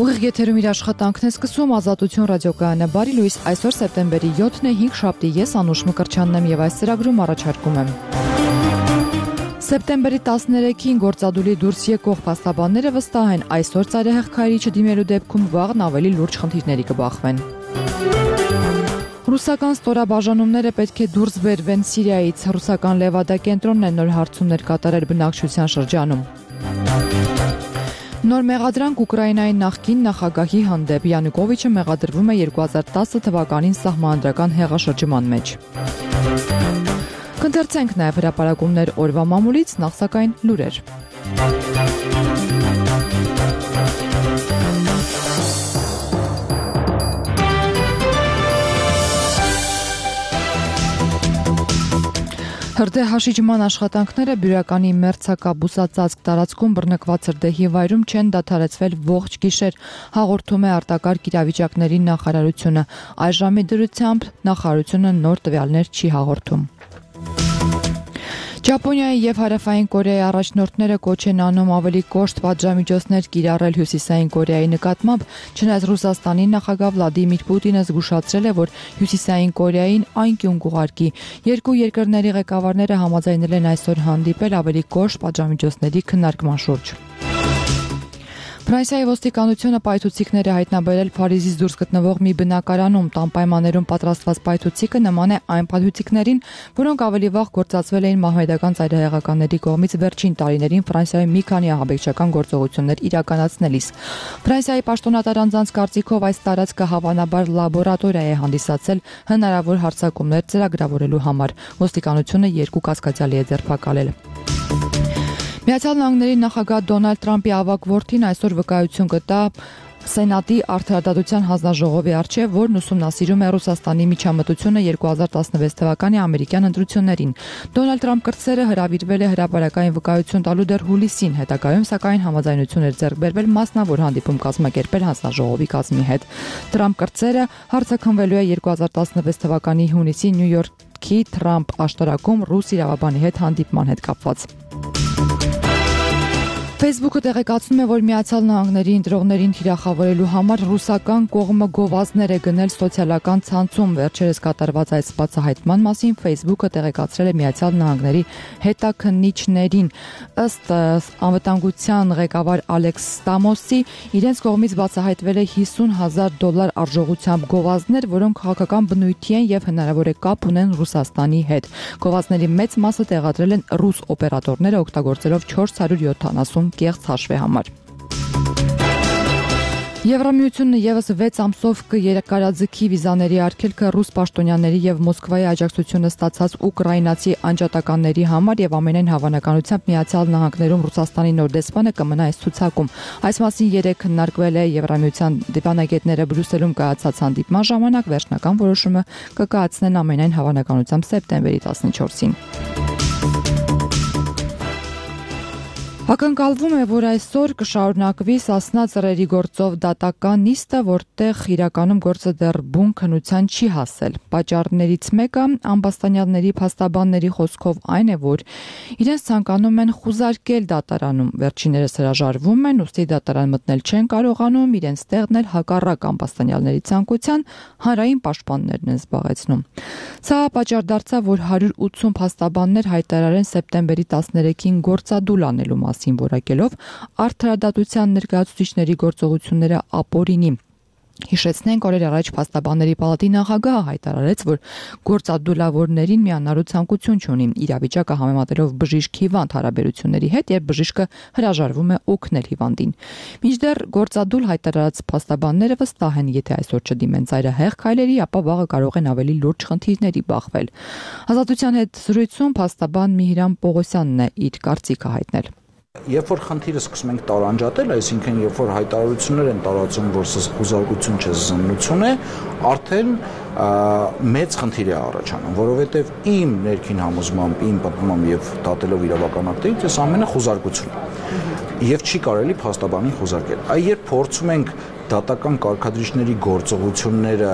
Ուղիղ եթերում իր աշխատանքն է սկսում Ազատություն ռադիոկայանը։ Բարի լույս, այսօր սեպտեմբերի 7-ն է, 5 շաբթի, ես Անուշ Մկրտչյանն եմ եւ այս ծրագրում առաջարկում եմ։ Սեպտեմբերի 13-ին գործադուլի դուրս եկող փաստաբանները վստահ են, այսօր ծայրահեղ քայլի չդիմելու դեպքում վաղն ավելի լուրջ խնդիրների կբախվեն։ Ռուսական ստորաբաժանումները պետք է դուրս բերվեն Սիրիայից։ Ռուսական Լևադա կենտրոնն է նոր հարցումներ կատարել բնակչության շրջանում։ Նոր մեղադրանք Ուկրաինայի նախկին նախագահի հանդեպ Յանուկովիչը մեղադրվում է 2010 թվականին սահմանադրական հեղաշրջման մեջ։ Կընթերցենք նաև հրապարակումներ օրվա մամուլից, նախ սակայն լուրեր։ Հրդեհաշիջման աշխատանքները Բյուրականի մերձակա-բուսածածկ տարածքում բռնկված հրդեհի վայրում չեն դադարեցվել ողջ գիշեր, հաղորդում է արտակարգ իրավիճակների նախարարությունը։ Այժմի դրությամբ նախարարությունը նոր տվյալներ չի հաղորդում։ Ճապոնիայի եւ Հարավային Կորեայի առաջնորդները կոչ են անում ավելի կոշտ պատժամիջոցներ կիրառել Հյուսիսային Կորեայի նկատմամբ, չնայած Ռուսաստանի նախագահ Վլադիմիր Պուտինը զգուշացրել է, որ Հյուսիսային Կորեային անկյուն կուղարկի։ Երկու երկրների ղեկավարները համաձայնել են այսօր հանդիպել ավելի կոշտ պատժամիջոցների քննարկման շուրջ։ Ֆրանսիայի ոստիկանությունը պայթուցիկներ է հայտնաբերել Փարիզից դուրս գտնվող մի բնակարանում։ Տան պայմաններում պատրաստված պայթուցիկը նման է այն պայթուցիկներին, որոնք ավելի վաղ գործածվել էին մահմեդական ծայրահեղականների կողմից վերջին տարիներին Ֆրանսիայում մի քանի ահաբեկչական գործողություններ իրականացնելիս։ Ֆրանսիայի պաշտոնատար անձանց կարծիքով այս տարածքը հավանաբար լաբորատորիա է հանդիսացել հնարավոր հարձակումներ ծրագրավորելու համար։ Ոստիկանությունը երկու կասկածյալի է ձերբակալել։ Միացյալ Նահանգների նախագահ Դոնալդ Թրամփի ավագ որդին այսօր վկայություն կտա Սենատի արդարադատության հանձնաժողովի առջև, որն ուսումնասիրում է Ռուսաստանի միջամտությունը 2016 թվականի ամերիկյան ընտրություններին։ Դոնալդ Թրամփ կրտսերը հրավիրվել է հրապարակային վկայություն տալու դեռ հուլիսին, հետագայում սակայն համաձայնություն էր ձեռք բերվել մասնավոր հանդիպում կազմակերպել հանձնաժողովի կազմի հետ։ Թրամփ կրտսերը հարցաքննվելու է 2016 թվականի հունիսի Նյու Յորքի Թրամփ աշտարակում ռուս իրավաբանի հետ հանդիպման հետ կապված։ Facebook-ը տեղեկացնում է, որ Միացյալ Նահանգների ընտրողներին թիրախավորելու համար ռուսական կողմը գովազդներ է գնել սոցիալական ցանցում։ Վերջերս կատարված այս բացահայտման մասին Facebook-ը տեղեկացրել է Միացյալ Նահանգների հետաքննիչներին։ Ըստ անվտանգության ղեկավար Ալեքս Ստամոսի, իրենց կողմից բացահայտվել է $50,000 արժողությամբ գովազդներ, որոնք քաղաքական բնույթի են եւ հնարավոր է կապ ունեն Ռուսաստանի հետ։ Գովազդների մեծ մասը տեղադրել են ռուս օպերատորները, օգտագործելով 470 կեղծ հաշվի համար։ Եվրամիությունը եւս 6 ամսով կերկարաձգի վիզաների արգելքը ռուս պաշտոնյաների եւ Մոսկվայի աջակցությունը ստացած ուկրաինացի անջատականների համար եւ ամենայն հավանականությամբ Միացյալ Նահանգներում Ռուսաստանի նոր դեսպանը կմնա այս ցուցակում։ Այս մասին երեկ քննարկվել է Եվրամիության դիվանագետները Բրյուսելում կայացած հանդիպման ժամանակ, վերջնական որոշումը կկայացնեն ամենայն հավանականությամբ սեպտեմբերի 14-ին։ Ակնկալվում է, որ այսօր կշարունակվի Սասնա ծռերի գործով դատական նիստը, որտեղ իրականում գործը դեռ բուն քննության չի հասել։ Պատճառներից մեկը ամբաստանյալների փաստաբանների խոսքով այն է, որ իրենց ցանկանում են խուզարկել դատարանում։ Վերջիններս հրաժարվում են, ուստի դատարան մտնել չեն կարողանում, իրենց տեղն էլ հակառակ ամբաստանյալների ցանկության հանրային պաշտպաններն են զբաղեցնում։ Սա պատճառ դարձավ, որ 180 փաստաբաններ հայտարարեն սեպտեմբերի 13-ին գործադուլ անելու մասին, որակելով արդարադատության ներկայացուցիչների գործողությունները ապօրինի։ Հիշեցնենք, օրեր առաջ փաստաբանների պալատի նախագահը հայտարարեց, որ գործադուլավորներին միանալու ցանկություն չունի, իրավիճակը համեմատելով բժիշկ հիվանդ հարաբերությունների հետ, երբ բժիշկը հրաժարվում է օգնել հիվանդին։ Մինչդեռ գործադուլ հայտարարած փաստաբանները վստահ են, եթե այսօր չդիմեն ծայրահեղ քայլերի, ապա վաղը կարող են ավելի լուրջ խնդիրների բախվել։ Ազատության հետ զրույցում փաստաբան Միհիրամ Պողոսյանն է իր կարծիքը հայտնել։ Երբ որ խնդիրը սկսում ենք տարանջատել, այսինքն երբ որ հայտարարություններ են տարածում, որ սա խուզարկություն չէ, զննություն է, արդեն մեծ խնդիր է առաջանում, որովհետև իմ ներքին համոզմամբ, իմ պատմամբ եւ դատելով իրավական ակտերից, այս ամենը խուզարկություն է։ Եվ չի կարելի փաստաբանին խուզարկել։ Այ երբ փորձում ենք դատական կարգադրիչների գործողությունները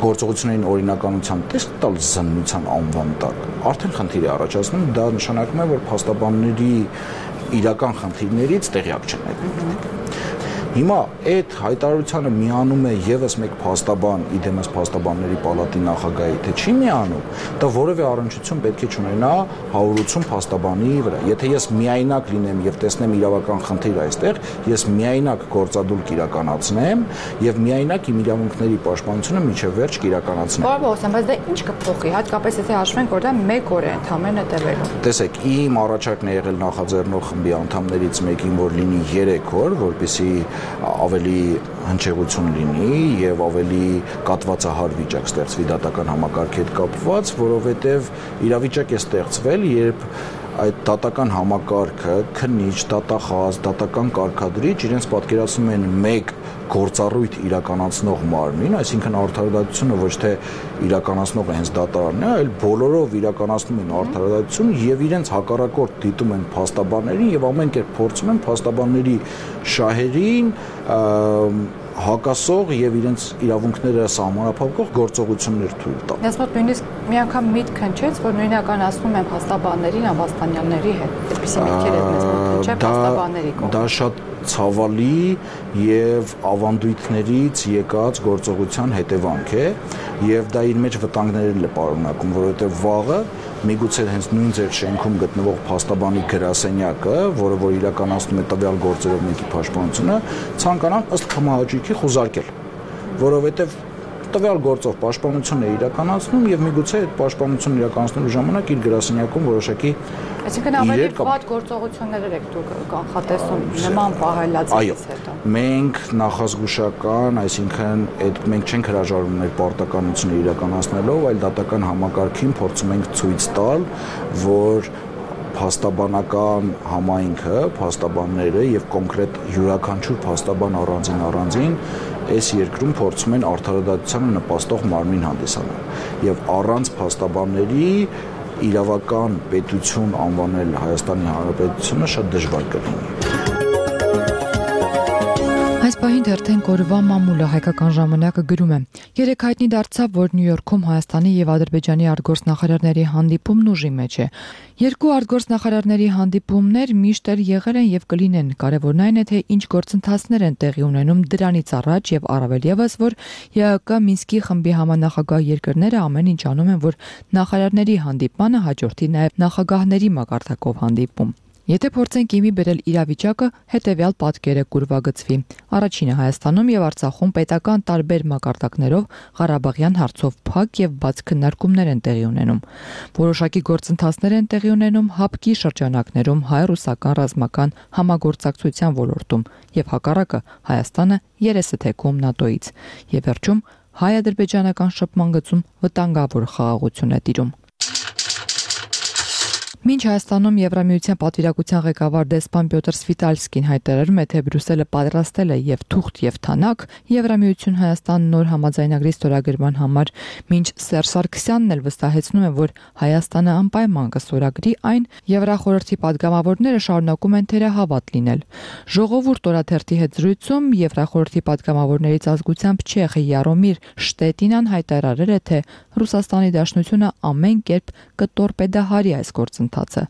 գործողություններին օրինականությամբ տեսք տալ զննության անվան տակ, արդեն խնդիր է առաջացնում, դա նշանակում է, որ փաստաբանների իրական խնդիրներից տեղյակ չեն այդ։ Հիմա այդ հայտարարությանը միանում է եւս մեկ փաստաբան, իդեմս փաստաբանների պալատի նախագահի, թե չի միանում, դա որևէ առնչություն պետք է չունենա 180 փաստաբանի վրա։ Եթե ես միայնակ լինեմ եւ տեսնեմ իրավական խնդիր այստեղ, ես միայնակ գործադուլ կիրականացնեմ եւ միայնակ իմ իրավունքների պաշտպանությունը միջև վերջ կիրականացնեմ։ Պարոն Պողոսյան, բայց դա ինչ կփոխի, հատկապես եթե հաշվենք, որ դա 1 օր է ընդամենը տևելու։ Տեսեք, իմ առաջարկն է եղել նախաձեռնող խմբի անդամներից մեկին, որ լինի 3 օր, որպեսզի ավելի հնչեղություն լինի եւ ավելի կատվածահար վիճակ ստեղծվի դատական համակարգի հետ կապված, որովհետեւ իրավիճակ է ստեղծվել, երբ այդ դատական համակարգը, քննիչ, դատախազ, դատական կարգադրիչ իրենց պատկերացնում են մեկ գործառույթ իրականացնող մարմին, այսինքն արդարադատությունը ոչ թե իրականացնողը հենց դատարանն է, այլ բոլորով իրականացնում են արդարադատություն եւ իրենց հակառակորդ դիտում են փաստաբաններին եւ ամեն կերպ փորձում են փաստաբանների շահերին հակասող եւ իրենց իրավունքները սահմանափակող գործողություններ թույլ տալ։ Ես մոտ նույնիսկ մի անգամ միտք հնչեց, որ նույնականացնում են փաստաբաններին Ամբաստանյանների հետ։ Այդպիսի միտքեր ես մեզ մոտ հնչել փաստաբանների կողմից։ Դա շատ ցավալի եւ ավանդույթներից եկած գործողության հետևանք է եւ դա իր մեջ վտանգներն է պարունակում, որովհետեւ վաղը միգուցե հենց նույն ձեր շենքում գտնվող փաստաբանի գրասենյակը, որը որ իրականացնում է տվյալ գործերով մեկի պաշտպանությունը, ցանկանան ըստ կամահաճույքի խուզարկել, որովհետեւ տվյալ գործով պաշտպանություն է իրականացնում եւ միգուցե այդ պաշտպանությունն իրականացնելու ժամանակ իր գրասենյակում որոշակի այսինքն ավելի վատ գործողություններ եք դուք կանխատեսում նման պահելացից հետո։ Մենք նախազգուշական, այսինքն այդ մենք չենք հրաժարվում մեր պարտականությունը իրականացնելով, այլ դատական համակարգին փորձում ենք ցույց տալ, որ փաստաբանական համայնքը, փաստաբանները եւ կոնկրետ յուրաքանչյուր փաստաբան առանձին այս երկրում փորձում են արդարադատությանը նպաստող մարմին հանդիսանալ եւ առանց փաստաբանների իրավական պետություն անվանել Հայաստանի Հանրապետությունը շատ դժվար կլինի։ Այս պահին թերթեն կորվա մամուլը հայկական ժամանակը գրում է. Երեկ հայտնի դարձավ, որ Նյու Յորքում Հայաստանի եւ Ադրբեջանի արտգործնախարարների հանդիպումն ուժի մեջ է։ Երկու արտգործնախարարների հանդիպումներ միշտ եղել են եւ կլինեն։ Կարևորն այն է, թե ինչ գործընթացներ են տեղի ունենում դրանից առաջ եւ առավել եւս, որ ԵԱԿ Մինսկի խմբի համանախագահ երկրները ամեն ինչ անում են, որ նախարարների հանդիպմանը հաջորդի նաեւ նախագահների մակարդակով հանդիպում։ Եթե փորձենք իմի բերել իրավիճակը, հետևյալ պատկերը կուրվագծվի։ Առաջինը Հայաստանում եւ Արցախում պետական տարբեր մակարդակներով Ղարաբաղյան հարցով փակ եւ բաց քննարկումներ են տեղի ունենում։ Որոշակի գործընթացներ են տեղի ունենում ՀԱՊԿ-ի շրջանակներում հայ-ռուսական ռազմական համագործակցության ոլորտում եւ հակառակը Հայաստանը երեսը թեքում ՆԱՏՕ-ից։ Եվ վերջում հայ-ադրբեջանական շփման գծում վտանգավոր խաղաղություն է տիրում։ Մինչ Հայաստանում Եվրամիության պատվիրակության ղեկավար դեսպան Պյոտր Սվիտալսկին հայտարարում է, թե Բրյուսելը պատրաստել է եւ թուղթ եւ թանակ Եվրամիություն Հայաստան նոր համաձայնագրի ստորագրման համար, մինչ Սերժ Սարգսյանն էլ վստահեցնում է, որ Հայաստանը անպայման կստորագրի այն, Եվրախորհրդի падգամավորները շարունակում են թերահավատ լինել։ Ժողովուրդ օրաթերթի հետ զրույցում Եվրախորհրդի падգամավորներից ազգությամբ չեխ Յարոմիր Շտետինան հայտարարել է, թե Ռուսաստանի Դաշնությունը ամեն կերպ կտորպեդահարի այս գործընթացը։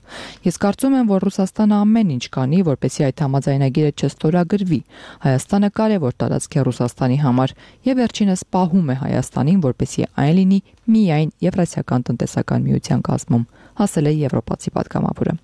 Ես կարծում եմ, որ Ռուսաստանը ամեն ինչ կանի, որպեսզի այդ համաձայնագիրը չստորագրվի։ Հայաստանը կարևոր տարածք է Ռուսաստանի համար եւ վերջինս պահում է Հայաստանին, որպեսզի այն լինի միայն Եվրասիական տնտեսական միության կազմում, ասել է եվրոպացի падգամավորը։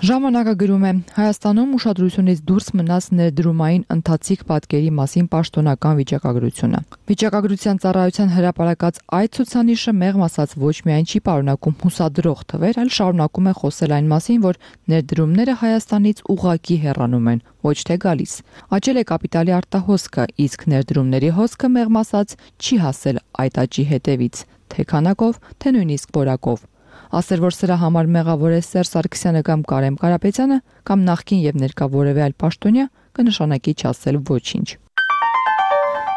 Ժամանակը գրում է. Հայաստանում ուշադրությունից դուրս մնաց ներդրումային ընթացիկ պատկերի մասին պաշտոնական վիճակագրությունը։ Վիճակագրության ծառայության հրապարակած այդ ցուցանիշը մեղմ ասած ոչ միայն չի պարունակում հուսադրող թվեր, այլ շարունակում է խոսել այն մասին, որ ներդրումները Հայաստանից ուղղակի հեռանում են, ոչ թե գալիս։ Աճել է կապիտալի արտահոսքը, իսկ ներդրումների հոսքը մեղմ ասած չի հասել այդ աճի հետևից, թե քանակով, թե նույնիսկ որակով։ Ասել, որ սրա համար մեղավոր է Սերժ Սարգսյանը կամ Կարեն Կարապետյանը կամ նախկին եւ ներկա որևէ այլ պաշտոնյա, կնշանակի չասել ոչինչ։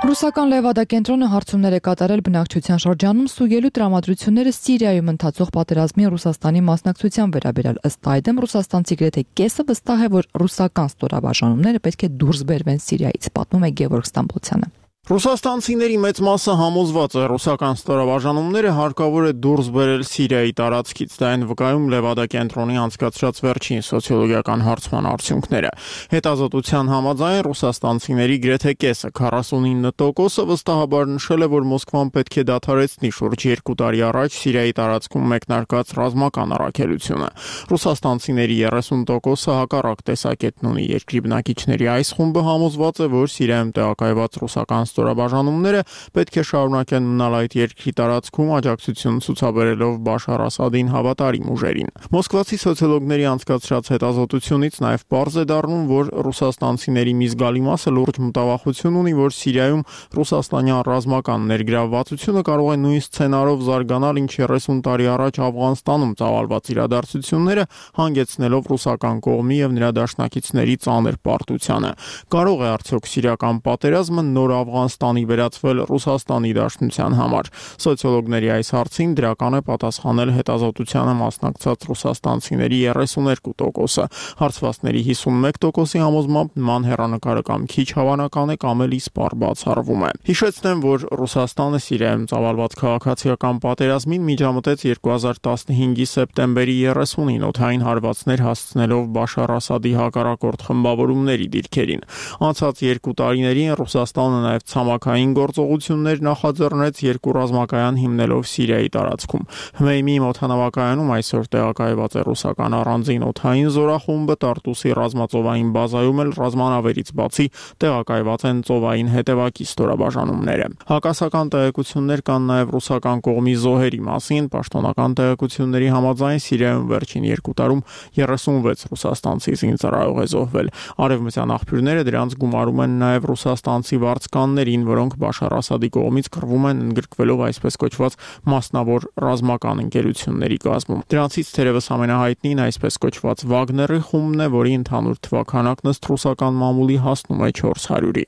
Ռուսական Լևադա-կենտրոնը հարցումներ է կատարել բնակչության շրջանում ստուգելու տրամադրությունները Սիրիայում ընթացող պատերազմի Ռուսաստանի մասնակցության վերաբերյալ։ Ըստ այդմ ռուսաստանցի գրեթե կեսը վստահ է, որ ռուսական ստորաբաժանումները պետք է դուրս բերվեն Սիրիայից, պատմում է Գևորգ Ստամբոլցյանը։ Ռուսաստանցիների մեծ մասը համոզված է, ռուսական ստորաբաժանումները հարկավոր է դուրս բերել Սիրիայի տարածքից, դա են վկայում Լևադա կենտրոնի անցկացրած վերջին սոցիոլոգիական հարցման արդյունքները։ Հետազոտության համաձայն ռուսաստանցիների գրեթե կեսը 49%-ը վստահաբար նշել է, որ Մոսկվան պետք է դադարեցնի շուրջ 2 տարի առաջ Սիրիայի տարածքում մեկնարկած ռազմական առաքելությունը։ Ռուսաստանցիների 30%-ը հակառակ տեսակետն ունի։ Երկրի բնակիչների այս խումբը համոզված է, որ Սիրիայում տեղակայված ռուսական ստորաբաժանումները պետք է շարունակեն մնալ այդ երկրի տարածքում աջակցություն ցուցաբերելով Բաշար Ասադին հավատարիմ ուժերին։ Մոսկվացի սոցիոլոգների անցկացրած հետազոտությունից նաև պարզ է դառնում, որ ռուսաստանցիների մի զգալի մասը լուրջ մտավախություն ունի, որ Սիրիայում ռուսաստանյան ռազմական ներգրավվածությունը կարող է նույն սցենարով զարգանալ, ինչ 30 տարի առաջ Աֆղանստանում ծավալված իրադարձությունները, հանգեցնելով ռուսական կողմի եւ նրա դաշնակիցների ծանր պարտությանը։ Կարող է արդյոք սիրիական պատերազմը նոր Աֆղանստանի վերածվել Ռուսաստանի դաշնության համար։ Սոցիոլոգների այս հարցին դրական է պատասխանել հետազոտությանը մասնակցած ռուսաստանցիների 32%-ը։ Հարցվածների 51%-ի համոզմամբ նման հեռանկարը կամ քիչ հավանական է, կամ էլ իսպառ բացառվում է։ Հիշեցնեմ, որ Ռուսաստանը Սիրիայում ծավալված քաղաքացիական պատերազմին միջամտեց 2015-ի սեպտեմբերի 30-ին օդային հարվածներ հասցնելով Բաշար Ասադի հակառակորդ խմբավորումների դիրքերին։ Անցած 2 տարիներին Ռուսաստանը նաև ցամաքային գործողություններ նախաձեռնեց 2 ռազմակայան հիմնելով Սիրիայի տարածքում։ Հմեյմի օդանավակայանում այսօր տեղակայված է ռուսական առանձին օդային զորախումբը, Տարտուսի ռազմածովային բազայում էլ ռազմանավերից բացի տեղակայված են ծովային հետևակի ստորաբաժանումները։ Հակասական տեղեկություններ կան նաև ռուսական կողմի զոհերի մասին։ Պաշտոնական տեղեկությունների համաձայն Սիրիայում վերջին 2 տարում 36 ռուսաստանցի զինծառայող է զոհվել։ Արևմտյան աղբյուրները դրանց գումարում են նաև ռուսաստանցի վարձկաններին, որոնք Բաշար Ասադի կողմից կռվում են ընդգրկվելով այսպես կոչված մասնավոր ռազմական ընկերությունների կազմում։ Դրանցից թերևս ամենահայտնին այսպես կոչված Վագների խումբն է, որի ընդհանուր թվաքանակն ըստ ռուսական մամուլի հասնում է 400-ի։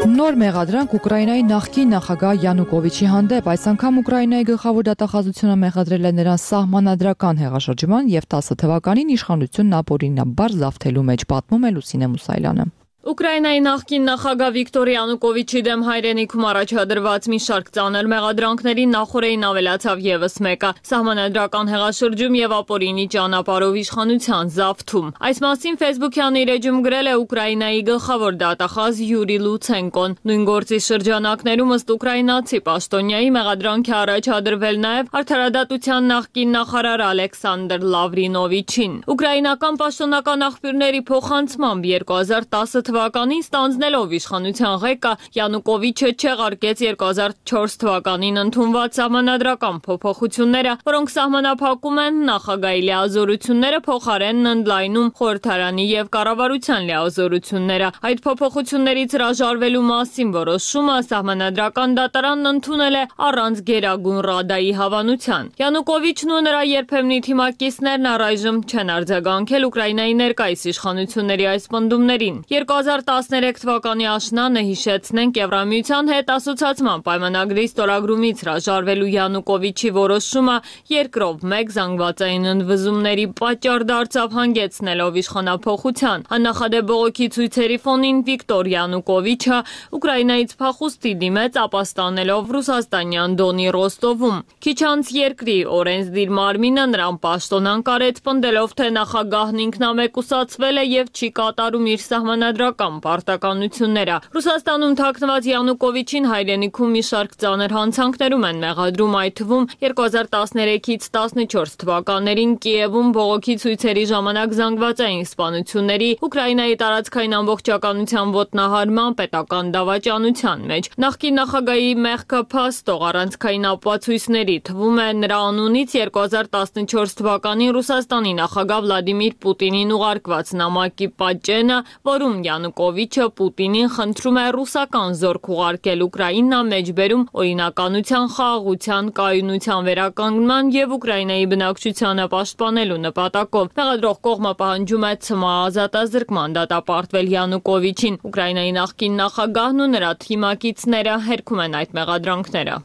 Նոր մեղադրանք Ուկրաինայի նախկին նախագահ Յանուկովիչի հանդեպ, այս անգամ Ուկրաինայի գլխավոր դատախազությունը մեղադրել է նրան սահմանադրական հեղաշրջման եւ 10 թվականին իշխանությունն ապօրինաբար զավթելու մեջ, պատմում է Լուսինե Մուսայելյանը։ Ուկրաինայի նախկին նախագահ Վիկտոր Յանուկովիչի դեմ հայրենիքում առաջադրված մի շարք ծանր մեղադրանքների նախորդին ավելացավ եւս մեկը՝ սահմանադրական հեղաշրջում եւ ապօրինի ճանապարհով իշխանության զավթում։ Այս մասին Facebook-յան իր էջում գրել է Ուկրաինայի գլխավոր դատախազ Յուրի Լուցենկոն։ Նույն գործի շրջանակներում ըստ ուկրաինացի պաշտոնյայի մեղադրանք է առաջադրվել նաեւ արդարադատության նախկին նախարար Ալեքսանդր Լավրինովիչին։ Ուկրաինական պաշտոնական աղբյուրների փոխանցմամբ 2010 թվականին ստանձնելով իշխանության ղեկը Յանուկովիչը չեղարկեց 2004 թվականին ընդունված սահմանադրական փոփոխությունները, որոնք սահմանափակում են նախագահի լիազորությունները, փոխարենն ընդլայնում խորհրդարանի եւ կառավարության լիազորությունները։ Այդ փոփոխություններից հրաժարվելու մասին որոշումը սահմանադրական դատարանն ընդունել է առանց Գերագույն ռադայի հավանության։ Յանուկովիչն ու նրա երբեմնի թիմակիցներն առայժմ չեն արձագանքել Ուկրաինայի ներկայիս իշխանությունների այս պնդումներին։ 2013 թվականի աշնանը, հիշեցնենք, Եվրամիության հետ ասոցիացման պայմանագրի ստորագրումից հրաժարվելու Յանուկովիչի որոշումը երկրով մեկ զանգվածային ընդվզումների պատճառ դարձավ, հանգեցնելով իշխանափոխության։ Աննախադեպ բողոքի ցույցերի ֆոնին Վիկտոր Յանուկովիչը Ուկրաինայից փախուստի դիմեց, ապաստանելով ռուսաստանյան Դոնի Ռոստովում։ Քիչ անց երկրի օրենսդիր մարմինը նրան պաշտոնանկ արեց, պնդելով, թե նախագահն ինքնամեկուսացվել է եւ չի կատարում իր սահմանադրական պարտականությունները։ Ռուսաստանում թաքնված Յանուկովիչին հայրենիքում մի շարք ծանր հանցանքներում են մեղադրում, այդ թվում 2013-ից 14 թվականներին Կիևում բողոքի ցույցերի ժամանակ զանգվածային սպանությունների, Ուկրաինայի տարածքային ամբողջականության ոտնահարման, պետական դավաճանության մեջ։ Նախկին նախագահի մեղքը փաստող առանցքային ապացույցների թվում է նրա անունից 2014 թվականին Ռուսաստանի նախագահ Վլադիմիր Պուտինին ուղարկված նամակի պատճենը, որում Յանուկովիչը Պուտինին խնդրում է ռուսական զորք ուղարկել Ուկրաինա, մեջբերում օրինականության, խաղաղության, կայունության վերականգնման եւ Ուկրաինայի բնակչությանը պաշտպանելու նպատակով։ Մեղադրող կողմը պահանջում է ՑՄԱ ազատազրկման դատապարտվել Յանուկովիչին։ Ուկրաինայի նախկին նախագահն ու նրա թիմակիցները հերքում են այդ մեղադրանքները։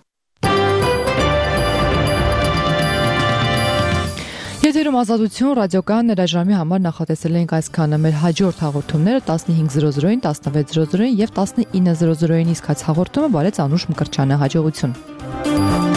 Եթերում Ազատություն ռադիոկայանն այժմի համար նախատեսել ենք այսքանը։ Մեր հաջորդ հաղորդումները 15:00-ին, 16:00-ին եւ 19:00-ին իսկ հաղորդումը բարեց Անուշ Մկրտչյանը հաջողություն։